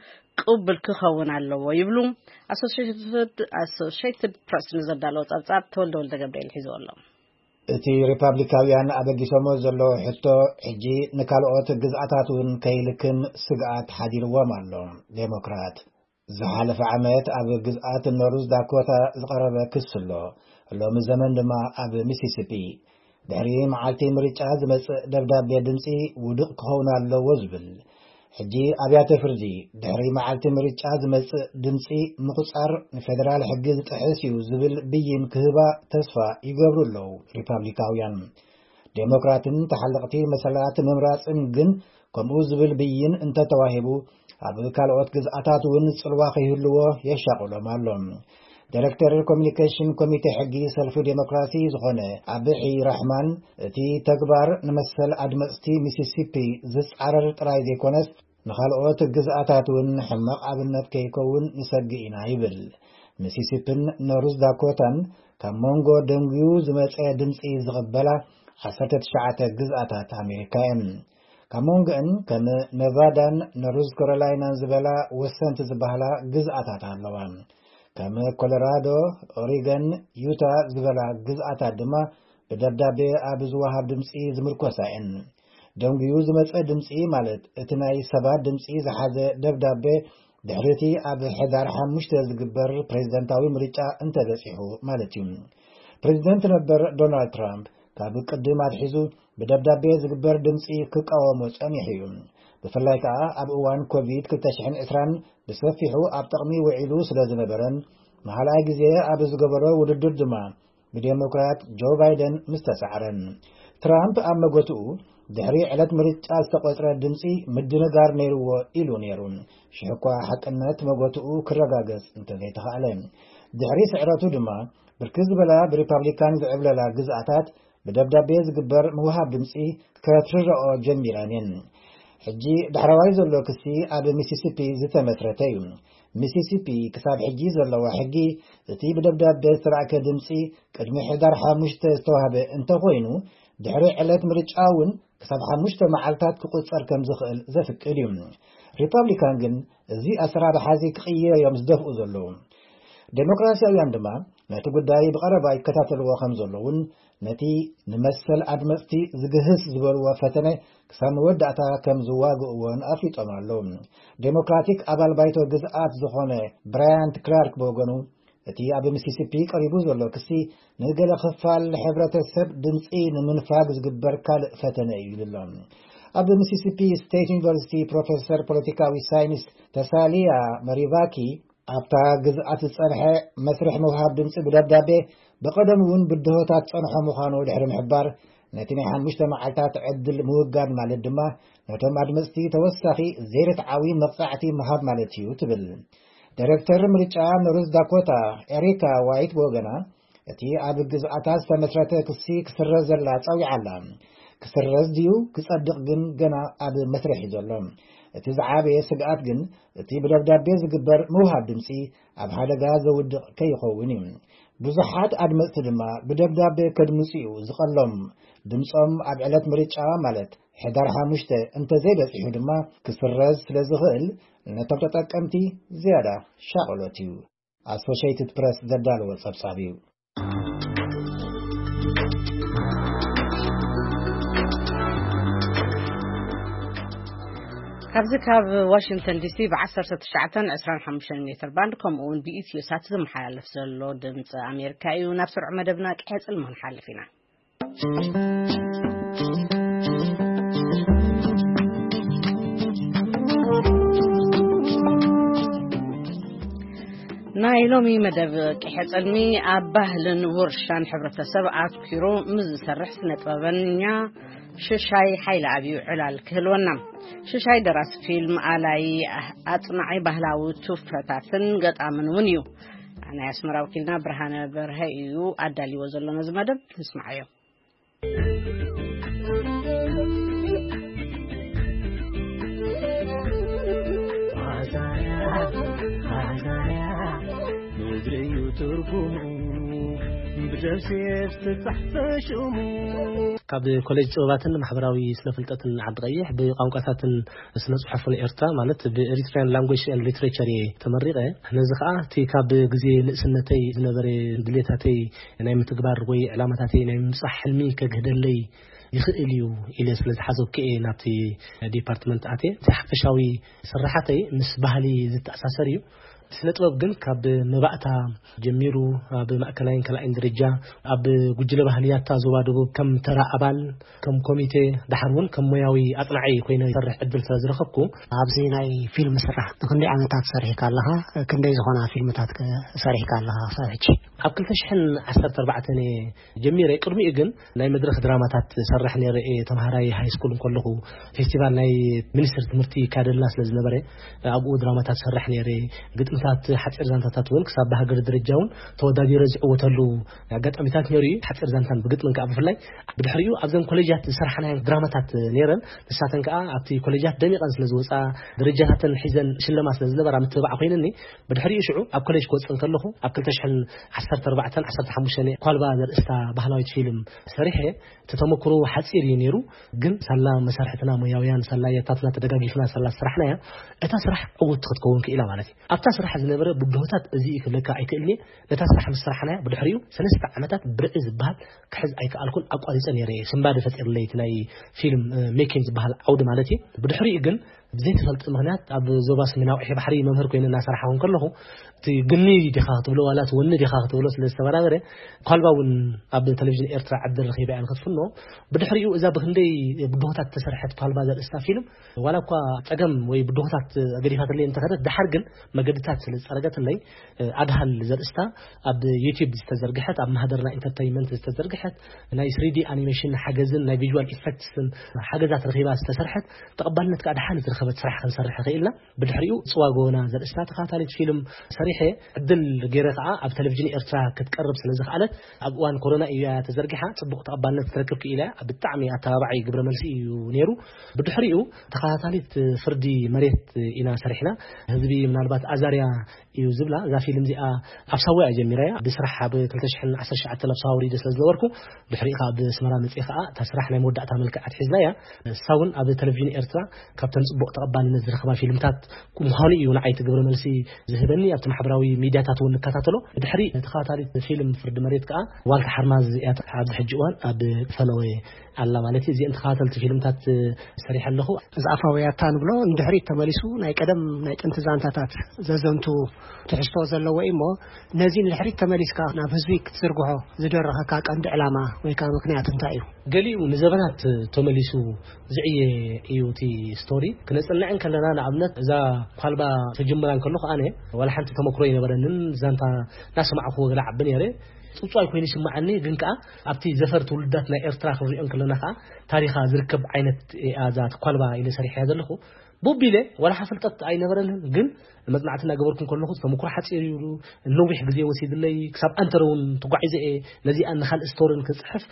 ቅቡል ክኸውን ኣለዎ ይብሉ። ኣሶሽትድ ኣሶሽትድ ፕረስ ንዘዳለዎ ጸብጻብ ተወልደ ወልደ ገብርኤል ሒዝዎ ኣሎ። እቲ ሪፓብሊካውያን ኣበጊሶሞ ዘለዉ ሕቶ ሕጂ ንካልኦት ግዝኣታት እውን ከይልክም ስግኣት ሓዲርዎም ኣሎ። ዴሞክራት ዝሓለፈ ዓመት ኣብ ግዝኣት ኖርዝ ዳኮታ ዝቐረበ ክሲ ኣሎ። ሎሚ ዘመን ድማ ኣብ ሚሲሲፒ ድሕሪ መዓልቲ ምርጫ ዝመጽእ ደብዳቤ ድምጺ ውዱቕ ክኸውን ኣለዎ ዝብል። ሕጂ ኣብያተ ፍርዲ ድሕሪ መዓልቲ ምርጫ ዝመጽእ ድምጺ ምቁጻር ንፌደራል ሕጊ ዝጥሕስ እዩ ዝብል ብይን ክህባ ተስፋ ይገብሩ ኣለዉ ሪፓብሊካውያን። ዴሞክራትን ተሓለቕቲ መሰላት ምምራጽን ግን ከምኡ ዝብል ብይን እንተተዋሂቡ ኣብ ካልኦት ግዝኣታት እውን ጽልዋ ከይህልዎ የሻቕሎም ኣሎ። ዳይሬክተር ኮሚኒኬሽን ኮሚቴ ሕጊ ሰልፊ ዴሞክራሲ ዝኾነ ኣብሒ ራሕማን፣ እቲ ተግባር ንመሰል ኣድመጽቲ ሚሲሲፒ ዝጻረር ጥራይ ዘይኮነስ ንኻልኦት ግዝኣታት እውን ሕማቕ ኣብነት ከይከውን ንሰግእ ኢና ይብል። ሚሲሲፒን ኖርዝ ዳኮታን ካብ መንጎ ደንጉዩ ዝመጸ ድምጺ ዝቕበላ ዓሰርተ ትሽዓተ ግዝኣታት ኣሜሪካ እየን። ካብ መንጎአን ከም ነቫዳን ኖርዝ ካሮላይናን ዝበላ ወሰንቲ ዝበሃላ ግዝኣታት ኣለዋ። ከም ኮሎራዶ፣ ኦሪገን፣ ዩታ ዝበላ ግዝኣታት ድማ ብደብዳቤ ኣብ ዝወሃብ ድምጺ ዝምርኮሳ እየን። ደንጉዩ ዝመጸ ድምጺ ማለት እቲ ናይ ሰባት ድምጺ ዝሓዘ ደብዳቤ ድሕሪ እቲ ኣብ ሕዳር ሓሙሽተ ዝግበር ፕሬዝደንታዊ ምርጫ እንተበጺሑ ማለት እዩ። ፕሬዝደንት ነበር ዶናልድ ትራምፕ ካብ ቅድም ኣትሒዙ ብደብዳቤ ዝግበር ድምጺ ክቃወሞ ጸኒሑ እዩ። ብፍላይ ከኣ ኣብ እዋን ኮቪድ ክልተ ሽሕን ዕስራን ብሰፊሑ ኣብ ጥቕሚ ውዒሉ ስለ ዝነበረን ንኻልኣይ ግዜ ኣብ ዝገበሮ ውድድር ድማ ብዴሞክራት ጆ ባይደን ምስ ተሳዕረን። ትራምፕ ኣብ መጎትኡ ድሕሪ ዕለት ምርጫ ዝተቖጽረ ድምጺ ምድንጋር ነይርዎ ኢሉ ነይሩ። ሽሕ እኳ ሓቅነት መጎትኡ ክረጋገጽ እንተዘይተኻእለ። ድሕሪ ስዕረቱ ድማ ብርክት ዝበላ ብሪፓብሊካን ዝዕብለላ ግዝኣታት ብደብዳቤ ዝግበር ምውሃብ ድምጺ ከትርረኦ ጀሚረን እየን። ሕጂ ዳሕረዋይ ዘሎ ክሲ ኣብ ሚሲሲፒ ዝተመስረተ እዩ። ሚሲሲፒ ክሳብ ሕጂ ዘለዋ ሕጊ እቲ ብደብዳቤ ዝተላእከ ድምጺ ቅድሚ ሕዳር ሓሙሽተ ዝተዋህበ እንተኾይኑ ድሕሪ ዕለት ምርጫ እውን ክሳብ ሓሙሽተ መዓልታት ክቁጸር ከም ዝኽእል ዘፍቅድ እዩ። ሪፓብሊካን ግን እዚ ኣሰራርሓ እዚ ክቕየር እዮም ዝደፍኡ ዘለዉ። ዴሞክራሲያውያን ድማ ነቲ ጉዳይ ብቐረባ ይከታተልዎ ከም ዘለዉን ነቲ ንመሰል ኣድመጽቲ ዝግህስ ዝበልዎ ፈተነ ክሳብ መወዳእታ ከም ዝዋግእዎን ኣፍሊጦም ኣለዉ። ዴሞክራቲክ ኣባል ባይቶ ግዝኣት ዝኾነ ብራያንት ክላርክ ብወገኑ እቲ ኣብ ሚሲሲፒ ቀሪቡ ዘሎ ክሲ ንገለ ክፋል ሕብረተሰብ ድምፂ ንምንፋግ ዝግበር ካልእ ፈተነ እዩ ኢሉ ኣሎ። ኣብ ሚሲሲፒ ስቴት ዩኒቨርሲቲ ፕሮፌሰር ፖለቲካዊ ሳይንስ ተሳሊያ መሪቫኪ ኣብታ ግዝኣት ዝጸንሐ መስርሕ ምውሃብ ድምፂ ብደብዳቤ ብቐደም እውን ብድሆታት ጸንሖ ምዃኑ ድሕሪ ምሕባር ነቲ ናይ ሓሙሽተ መዓልታት ዕድል ምውጋድ ማለት ድማ ነቶም ኣድመፅቲ ተወሳኺ ዘይርትዓዊ መቕጻዕቲ ምሃብ ማለት እዩ ትብል። ዳይሬክተር ምርጫ ኖርዝ ዳኮታ ኤሪካ ዋይት ብወገና እቲ ኣብ ግዝኣታ ዝተመስረተ ክሲ ክስረዘላ ጸዊዓ ኣላ። ክስረዝ ድዩ ክጸድቕ ግን ገና ኣብ መስርሕ እዩ ዘሎ። እቲ ዝዓበየ ስግኣት ግን እቲ ብደብዳቤ ዝግበር ምውሃብ ድምጺ ኣብ ሓደጋ ዘውድቕ ከይኸውን እዩ። ብዙሓት ኣድመጽቲ ድማ ብደብዳቤ ከድምጹ እዩ ዝቐሎም። ድምጾም ኣብ ዕለት ምርጫ ማለት ሕዳር ሓሙሽተ እንተዘይበጺሑ ድማ ክስረዝ ስለ ዝኽእል ነቶም ተጠቀምቲ ዝያዳ ሻቕሎት እዩ። ኣሶሽየትድ ፕረስ ዘዳለዎ ጸብጻብ እዩ። ካብዚ ካብ ዋሽንግተን ዲሲ ብ19 25 ሜትር ባንድ ከምኡ እውን ብኢትዮ ሳት ዝመሓላለፍ ዘሎ ድምፂ ኣሜሪካ እዩ። ናብ ስርዑ መደብና ቅሐፅል ምክንሓልፍ ኢና። ናይ ሎሚ መደብ ቅሐፅልሚ ኣብ ባህልን ውርሻን ሕብረተሰብ ኣትኪሩ ምስ ዝሰርሕ ስነ ጥበበኛ ሽሻይ ሓይለ ኣብዩ ዕላል ክህልወና። ሽሻይ ደራሲ ፊልም፣ ኣላይ፣ ኣጽናዒ ባህላዊ ትውፈታትን ገጣምን እውን እዩ። ናይ ኣስመራ ወኪልና ብርሃነ በርሀ እዩ ኣዳልዎ ዘሎ ነዚ መደብ። ንስማዓዮ። ምድሪ እዩ ትርጉሙ ብደብሴ ዝተጻሕፈ ሽሙ። ካብ ኮሌጅ ጥበባትን ማሕበራዊ ስነ ፍልጠትን ዓዲ ቀይሕ ብቋንቋታትን ስነ ጽሑፍን ኤርትራ ማለት ብ Eritrean Language and Literature እየ ተመሪቐ። ነዚ ኸኣ እቲ ካብ ግዜ ንእስነተይ ዝነበረ ድሌታተይ ናይ ምትግባር ወይ ዕላማታተይ ናይ ምብጻሕ ሕልሚ ከግህደለይ ይኽእል እዩ ኢለ ስለ ዝሓሰብኩ እየ ናብቲ ዲፓርትመንት ኣትየ። እቲ ሓፈሻዊ ስራሓተይ ምስ ባህሊ ዝተኣሳሰር እዩ። ስነ ጥበብ ግን ካብ መባእታ ጀሚሩ ኣብ ማእከላይን ካልኣይን ደረጃ ኣብ ጉጅለ ባህሊ ያታ ዞባ ደቡብ ከም ተራ ኣባል፣ ከም ኮሚቴ፣ ደሓር እውን ከም ሞያዊ ኣጽናዒ ኮይነ ይሰርሕ ዕድል ስለ ዝረኸብኩ፣ ኣብዚ ናይ ፊልም ስራሕ ንክንደይ ዓመታት ሰሪሕካ ኣለኻ? ክንደይ ዝኾና ፊልምታት ከ ሰሪሕካ ኣለኻ ክሳብ ሕጂ? ኣብ ክልተ ሽሕን ዓሰርተ ኣርባዕተን እየ ጀሚረ። ቅድሚኡ ግን ናይ መድረኽ ድራማታት ሰርሕ ነይረ እየ። ተምሃራይ ሃይ ስኩል እንከለኹ ፌስቲቫል ናይ ሚኒስትሪ ትምህርቲ ይካየደልና ስለ ዝነበረ ኣብኡ ድራማታት ሰርሕ ነይረ። ግጥምታት፣ ሓፂር ዛንታታት እውን ክሳብ ብሃገር ደረጃ እውን ተወዳዲረ ዝዕወተሉ ኣጋጣሚታት ነይሩ እዩ። ሓፂር ዛንታን ብግጥምን ከዓ ብፍላይ። ብድሕሪኡ ኣብዘን ኮሌጃት ዝሰርሓናየን ድራማታት ነይረን። ንሳተን ከዓ ኣብቲ ኮሌጃት ደሚቐን ስለ ዝወፃ፣ ደረጃታተን ሒዘን ሽለማ ስለ ዝነበራ ምትብባዕ ኮይነኒ። ብድሕሪኡ ሽዑ ኣብ ኮሌጅ ክወፅእ እንከለኹ ኣብ ክልተ ሽሕን ዓሰርተ ኣርባዕተን ዓሰርተ ሓሙሽተን ኳልባ ዘርእስታ ባህላዊት ፊልም ሰሪሐ። እቲ ተመክሮ ሓፂር እዩ ነይሩ፣ ግን ሳላ መሳርሕትና ሞያውያን፣ ሳላ ያታትና ተደጋጊፍና ሳላ ዝሰራሕናያ፣ እታ ስራሕ ዕውትቲ ክትከውን ክኢላ ማለት እዩ። ኣብታ ስራሕ ዝነበረ ብድሆታት እዚ እዩ ክብለካ ኣይክእልን እየ። ነታ ስራሕ ምስ ሰራሕናያ ብድሕሪኡ ሰለስተ ዓመታት ብርዒ ዝበሃል ክሕዝ ኣይከኣልኩን፣ ኣቋሪፀ ነይረ እየ። ስንባደ ፈጢርለይ እቲ ናይ ፊልም፣ እ፣ ሜኪንግ ዝበሃል ዓውዲ ማለት እዩ። ብድሕሪኡ ግን ብዘይተፈልጠ ምኽንያት ኣብ ዞባ ሰሜናዊ ቀይሕ ባሕሪ መምህር ኮይነ እናሰራሕኹ እንከለኹ፣ እቲ ግኒ ዲኻ ክትብሎ ዋላ እቲ ወኒ ዲኻ ክትብሎ ስለ ዝተበራበረ፣ ኳልባ እውን ኣብ ቴሌቪዥን ኤርትራ ዕድል ረኺበ እያ ንክትፍኖ። ብድሕሪኡ እዛ ብክንደይ ብድሆታት ዝተሰርሐት ኳልባ ዘርእስታ ፊልም፣ ዋላ እኳ ጸገም ወይ ብድሆታት ገዲፋትለይ እንተኸደት፣ ደሓር ግን መገድታት ስለ ዝጸረገትለይ፣ ኣድሃል ዘርእስታ ኣብ ዩቲዩብ ዝተዘርግሐት፣ ኣብ ማህደርና ኢንተርተይንመንት ዝተዘርግሐት፣ ናይ ስሪ ዲ ኣኒሜሽን ሓገዝን ናይ ቪዥዋል ኢፌክትስን ሓገዛት ረኺባ ዝተሰርሐት፣ ተቐባልነት ከኣ ደሓን ዝረኸበት ስራሕ ክንሰርሕ ኽኢልና። ብድሕሪኡ ጽዋ ጎበና ዘርእስታ ተኸታታሊት ፊልም ሰሪሐ፣ ዕድል ገይረ ከኣ ኣብ ቴሌቪዥን ኤርትራ ክትቀርብ ስለ ዝኸኣለት፣ ኣብ እዋን ኮሮና እያ ተዘርጊሓ፣ ጽቡቕ ተቐባልነት ክትረክብ ክኢላ። ብጣዕሚ ኣተባባዒ ግብረ መልሲ እዩ ነይሩ። ብድሕሪኡ ተኸታታሊት ፍርዲ መሬት ኢና ሰሪሕና። ህዝቢ ምናልባት ኣዛርያ እዩ ዝብላ። እዛ ፊልም እዚኣ ኣብ ሳዋ እያ ጀሚራያ። ብስራሕ ኣብ ክልተ ሽሕን ዓሰርተ ትሽዓተን ኣብ ሳዋ ወሪደ ስለ ዝነበርኩ፣ ድሕሪኡ ከኣ ኣብ ኣስመራ መጺኤ ከኣ እታ ስራሕ ናይ መወዳእታ መልክዕ ኣትሒዝናያ። ንሳ እውን ኣብ ቴሌቪዥን ኤርትራ ካብተን ጽቡቕ ተቐባልነት ዝረኸባ ፊልምታት ምዃኑ እዩ ንዓይ እቲ ግብረ መልሲ ዝህበኒ። ኣብቲ ማሕበራዊ ሚድያታት እውን ንከታተሎ። ብድሕሪ ተኸታታሊት ፊልም ፍርዲ መሬት ከኣ ዋልታ ሓርማዝ እያ ኣብዚ ሕጂ እዋን ኣብ ፈነወ ኣላ ማለት እዩ። እዚአን ተኸታተልቲ ፊልምታት ሰሪሐ ኣለኹ። እዚ ኣፋውያታ ንብሎ ንድሕሪት ተመሊሱ ናይ ቀደም ናይ ጥንቲ ዛንታታት ዘዘንቱ ትሕዝቶ ዘለዎ እዩ እሞ፣ ነዚ ንድሕሪት ተመሊስካ ናብ ህዝቢ ክትዝርግሖ ዝደረኸካ ቀንዲ ዕላማ ወይ ከዓ ምክንያት እንታይ እዩ? ገሊኡ ንዘበናት ተመሊሱ ዝዕየ እዩ እቲ ስቶሪ። ክነጽንዕ እንከለና፣ ንኣብነት፣ እዛ ኳልባ ተጀምራ እንከለኹ ኣነ ዋላ ሓንቲ ተመክሮ ኣይነበረንን። ዛንታ እናሰማዕኩዎ ገለ ዓቢ ነይረ። ጽውጽዋይ ኮይኑ ይስምዓኒ። ግን ከኣ ኣብቲ ዘፈር ትውልዳት ናይ ኤርትራ ክንሪኦ እንከለና ከኣ ታሪኻ ዝርከብ ዓይነት እያ እዛ ተኳልባ ኢለ ሰሪሐያ ዘለኹ። ቡቢለ ዋላ ሓ ፍልጠት ኣይነበረንን፣ ግን መጽናዕቲ እናገበርኩ እንከለኹ ተመኩሮ ሓጺር እዩ። ነዊሕ ግዜ ወሲድለይ። ክሳብ ኣንተረ እውን ተጓዒዘ እየ ነዚኣ ንኻልእ ስቶርን ክጽሕፍ።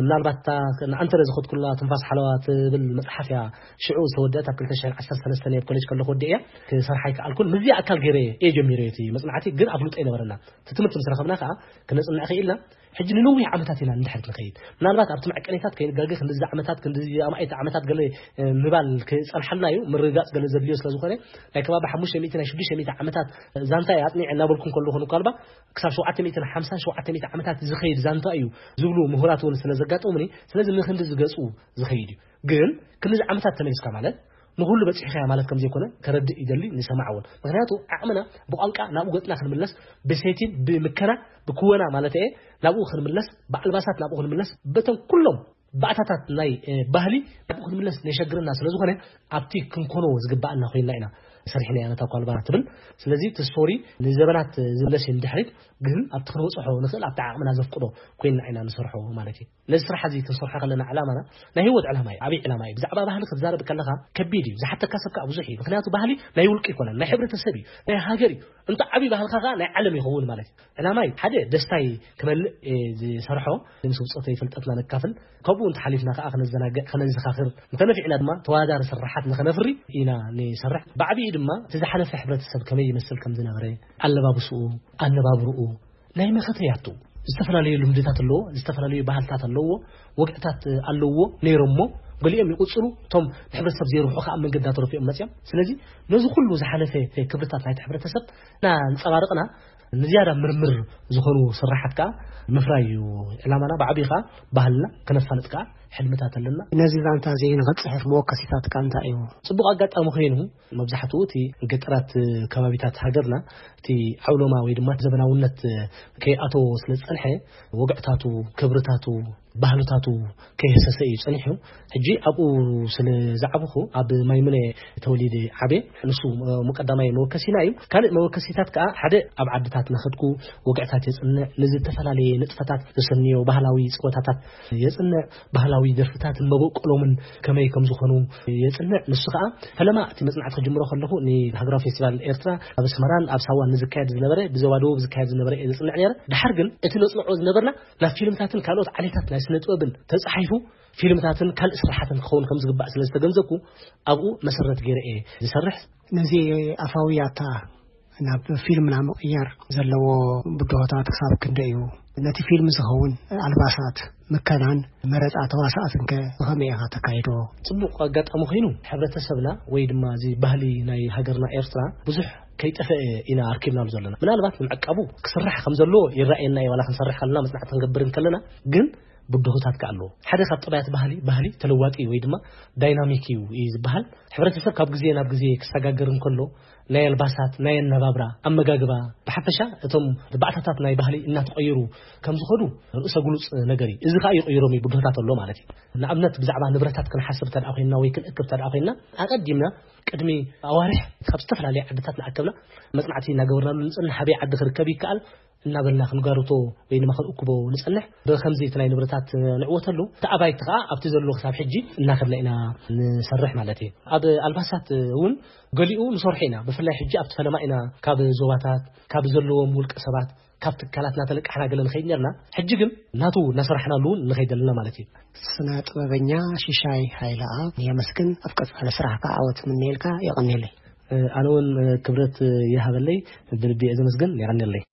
ምናልባት እታ ንኣንተረ ዝኸድኩላ ትንፋስ ሓለዋ ትብል መጽሓፍ እያ ሽዑ ዝተወደአት፣ ኣብ ክልተ ሽሕን ዓሰርተ ሰለስተን ኣብ ኮሌጅ ከለኹ ወዲአ እያ። ክሰርሓ ኣይከኣልኩን። ምስዚኣ ኣካል ገይረ እየ ጀሚረ እቲ መጽናዕቲ፣ ግን ኣፍልጦ ኣይነበረና። እቲ ትምህርቲ ምስ ረኸብና ከኣ ክነጽንዕ ክኢልና። ሕጂ ንነዊሕ ዓመታት ኢና ንድሕሪት ንኸይድ። ምናልባት ኣብቲ መዐቀኒታት ከይንጋገ ክንድዚ ዓመታት፣ ክንድዚ ኣማኢት ዓመታት ገለ፣ እ፣ ምባል ክጸንሓልና እዩ። ምርግጋጽ ገለ ዘድልዮ ስለ ዝኾነ፣ ናይ ከባቢ ሓሙሽተ ሚእቲ ናይ ሽዱሽተ ሚእቲ ዓመታት ዛንታ እየ ኣጽኒዐ እናበልኩ እንከለኹ፣ ንኳልባ ክሳብ ሸውዓተ ሚእትን ሓምሳን ሸውዓተ ሚእቲ ዓመታት ዝኸይድ ዛንታ እዩ ዝብሉ ምሁራት እውን ስለ ዘጋጠሙኒ፣ ስለዚ ንክንዲ ዝገጹ ዝኸይድ እዩ። ግን ክንድዚ ዓመታት ተመሊስካ ማለት ንኹሉ በጺሕካዮ ማለት ከም ዘይኮነ ከረድእ ይደሊ፣ ንሰማዕ እውን። ምኽንያቱ ዓቕምና ብቋንቃ ናብኡ ገጽና ክንምለስ፣ ብሴቲን ብምከና፣ ብክወና ማለት እየ፣ ናብኡ ክንምለስ፣ ብኣልባሳት ናብኡ ክንምለስ፣ በተን ኩሎም ባእታታት ናይ፣ እ፣ ባህሊ ናብኡ ክንምለስ ነሸግረና ስለ ዝኾነ፣ ኣብቲ ክንኮኖ ዝግባኣና ኮይንና ኢና ሰሪሕናያ ነታ ኳልባራ ትብል። ስለዚ እቲ ስቶሪ ንዘበናት ዝምለስ እዩ ንድሕሪት፣ ግን ኣብቲ ክንበጽሖ ንኽእል ኣብቲ ዓቕምና ዘፍቅዶ ኮይንና ኢና ንሰርሖ ማለት እዩ። ነዚ ስራሕ እዚ ክንሰርሖ ከለና ዕላማና ናይ ህይወት ዕላማ እዩ፣ ዓብዪ ዕላማ እዩ። ብዛዕባ ባህሊ ክትዛረብ ከለኻ ከቢድ እዩ፣ ዝሓተካ ሰብ ከኣ ብዙሕ እዩ። ምኽንያቱ ባህሊ ናይ ውልቂ ይኮነን፣ ናይ ሕብረተሰብ እዩ፣ ናይ ሃገር እዩ። እንተ ዓብዪ ባህልካ ከኣ ናይ ዓለም ይኸውን ማለት እዩ። ዕላማይ ሓደ ደስታይ ክመልእ እየ ዝሰርሖ፣ ምስ ውፅኦተይ ፍልጠትና ነካፍል፣ ከምኡ እንተሓሊፍና ከኣ ክነዘናግዕ፣ ከነዘኻኽር፣ እንተነፊዕና ድማ ተወዳዳሪ ስራሓት ንኸነፍሪ ኢና ንሰርሕ። ብዓብዪ ድማ እቲ ዝሓለፈ ሕብረተሰብ ከመይ ይመስል ከም ዝነበረ፣ ኣለባብስኡ፣ ኣነባብርኡ፣ ናይ መኸተ ያቱ ዝተፈላለዩ ልምድታት ኣለዎ፣ ዝተፈላለዩ ባህልታት ኣለዎ፣ ወግዕታት ኣለዎ ነይሮሞ፣ ገሊኦም ይቕጽሉ፣ እቶም ንሕብረተሰብ ዘይርብሑ ከኣ ኣብ መንገዲ ኣተረፊኦም መጽዮም። ስለዚ ነዚ ኩሉ ዝሓለፈ ክብርታት ናይቲ ሕብረተሰብ እናንጸባረቕና ንዝያዳ ምርምር ዝኾኑ ስራሓት ከኣ ምፍራይ እዩ ዕላማና። ብዓብዪ ከኣ ባህልና ክነፋልጥ ከኣ ሕልምታት ኣለና። ነዚ ዛንታ እዚ ንኽጽሕፍ መወከሲታትካ እንታይ እዩ? ጽቡቕ ኣጋጣሚ ኮይኑ መብዛሕትኡ እቲ ገጠራት ከባቢታት ሃገርና እቲ ዓውሎማ ወይ ድማ ዘበናውነት ከይኣተዎ ስለ ዝጸንሐ፣ ወግዕታቱ፣ ክብርታቱ፣ ባህልታቱ ከይህሰሰ እዩ ጸኒሑ። ሕጂ ኣብኡ ስለ ዝዓበኹ፣ ኣብ ማይምነ ተወሊደ ዓብየ። ንሱ፣ እ፣ ቀዳማይ መወከሲና እዩ። ካልእ መወከሲታት ከኣ ሓደ ኣብ ዓድታት እናኸድኩ ወግዕታት የጽንዕ፣ ንዝተፈላለየ ንጥፈታት ዘሰንዮ ባህላዊ ጸወታታት የጽንዕ፣ ባህላዊ ደርፍታትን መበቆሎምን ከመይ ከም ዝኾኑ የጽንዕ። ንሱ ከኣ ፈለማ እቲ መጽናዕቲ ክጅምሮ ከለኹ ንሃገራዊ ፌስቲቫል ኤርትራ ኣብ ኣስመራን ኣብ ሳዋን ንዝካየድ ዝነበረ፣ ብዞባ ደቡብ ዝካየድ ዝነበረ እየ ዘጽንዕ ነይረ። ድሓር ግን እቲ ነጽንዖ ዝነበርና ናብ ፊልምታትን ካልኦት ዓሌታት ናይ ስነ ጥበብን ተጻሒፉ ፊልምታትን ካልእ ስራሓትን ክኸውን ከም ዝግባእ ስለ ዝተገንዘብኩ ኣብኡ መሰረት ገይረ እየ ዝሰርሕ። ነዚ ኣፋዊ ያታ ናብ ፊልም ንምቕያር ዘለዎ ብድሆታት ክሳብ ክንደይ እዩ? ነቲ ፊልም ዝኸውን ኣልባሳት፣ ምከናን መረጻ ተዋሳእትን ከ ብኸመይ ኢኻ ተካይዶ? ጽቡቕ ኣጋጣሚ ኮይኑ፣ ሕብረተሰብና ወይ ድማ እዚ ባህሊ ናይ ሃገርና ኤርትራ ብዙሕ ከይጠፍአ ኢና ኣርኪብናሉ ዘለና። ምናልባት ንምዕቃቡ ክስራሕ ከም ዘለዎ ይረኣየና እዩ፣ ዋላ ክንሰርሕ ከለና፣ መጽናዕቲ ክንገብር እንከለና። ግን ብድሆታት ከኣ ኣለዎ። ሓደ ካብ ጠባያት ባህሊ፣ ባህሊ ተለዋጢ ወይ ድማ ዳይናሚክ እዩ እዩ ዝበሃል። ሕብረተሰብ ካብ ግዜ ናብ ግዜ ክሰጋገር እንከሎ፣ ናይ ኣልባሳት፣ ናይ ኣነባብራ፣ ኣመጋግባ፣ ብሓፈሻ እቶም ባእታታት ናይ ባህሊ እናተቐየሩ ከም ዝኸዱ ርእሰ ግሉጽ ነገር እዩ። እዚ ከኣ ይቕይሮም እዩ፣ ብድሆታት ኣሎ ማለት እዩ። ንኣብነት ብዛዕባ ንብረታት ክንሓስብ እንተ ደኣ ኮይንና ወይ ክንእክብ እንተ ደኣ ኮይንና፣ ኣቐዲምና ቅድሚ ኣዋርሕ ካብ ዝተፈላለየ ዓድታት እናኣከብና መጽናዕቲ እናገበርናሉ ንጽንሕ፣ ኣበይ ዓዲ ክርከብ ይከኣል እናበልና ክንጋርቶ ወይ ድማ ክንእክቦ ንጸንሕ። ብኸምዚ እቲ ናይ ንብረታት ንዕወተሉ፣ እቲ ኣባይቲ ከኣ ኣብቲ ዘሎ ክሳብ ሕጂ እናኸድና ኢና ንሰርሕ ማለት እዩ። ኣብ ኣልባሳት እውን ገሊኡ ንሰርሖ ኢና። ብፍላይ ሕጂ ኣብቲ ፈለማ ኢና ካብ ዞባታት፣ ካብ ዘለዎም ውልቀ ሰባት፣ ካብ ትካላት እናተለቃሕና ገለ ንኸይድ ነርና። ሕጂ ግን ናቱ እናሰራሕናሉ እውን ንኸይድ ኣለና ማለት እዩ። ስነ ጥበበኛ ሽሻይ ሃይለኣብ የመስግን። ኣብ ቀጻሊ ስራሕካ ዓወት ምንየልካ። የቐንየለይ። ኣነ እውን ክብረት ይሃበለይ። ብልቢ እየ ዘመስግን። የቐንየለይ።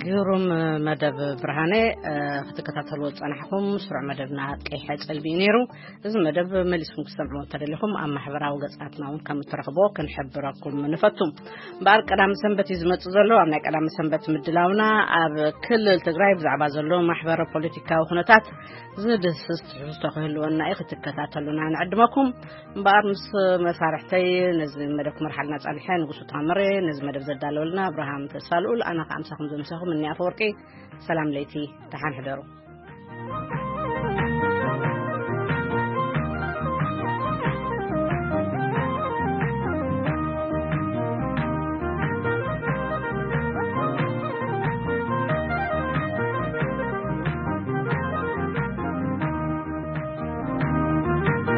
ግሩም መደብ ብርሃነ ክትከታተልዎ ዝጸናሕኩም ስሩዕ መደብና ቀይሐ ጸልሚ እዩ ነይሩ። እዚ መደብ መሊስኩም ክትሰምዕዎ እንተደሊኹም ኣብ ማሕበራዊ ገጻትና እውን ከም እትረኽብዎ ክንሕብረኩም ንፈቱ። እምበኣር ቀዳሚ ሰንበት እዩ ዝመጽእ ዘሎ። ኣብ ናይ ቀዳሚ ሰንበት ምድላውና ኣብ ክልል ትግራይ ብዛዕባ ዘሎ ማሕበረ ፖለቲካዊ ኩነታት ዝድህስስ ትሕዝቶ ክህልወና እዩ። ክትከታተሉና ንዕድመኩም። እምበኣር ምስ መሳርሕተይ ነዚ መደብ ክመርሓልና ጸንሐ ንጉሱ ታምሬ፣ ነዚ መደብ ዘዳለወልና ኣብርሃም ተስፋልኡል፣ ኣነ ከኣ ምሳኹም ዘምሰኹም እኒ ኣፈወርቂ። ሰላም ለይቲ፣ ደሓን ሕደሩ።